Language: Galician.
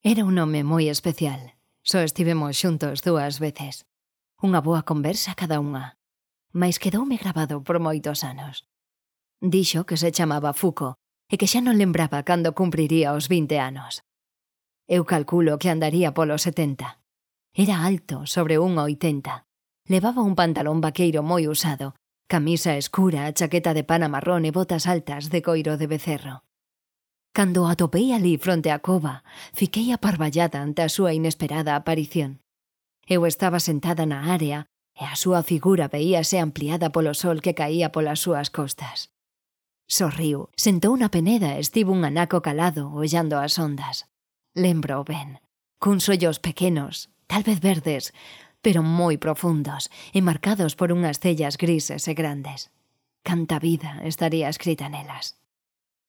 Era un home moi especial. Só estivemos xuntos 2 veces. Unha boa conversa cada unha. Mais quedoume grabado por moitos anos. Dixo que se chamaba Fuco e que xa non lembraba cando cumpriría os 20 anos. Eu calculo que andaría polos 70. Era alto, sobre 1,80. Levaba un pantalón vaqueiro moi usado, camisa escura, chaqueta de pana marrón e botas altas de coiro de becerro. Cando o atopei ali fronte á cova, fiquei aparballada ante a súa inesperada aparición. Eu estaba sentada na área e a súa figura veíase ampliada polo sol que caía polas súas costas. Sorriu, sentou na peneda e estivo un anaco calado ollando as ondas. Lembro ben, cuns ollos pequenos, tal vez verdes, pero moi profundos e marcados por unhas cellas grises e grandes. Canta vida estaría escrita nelas.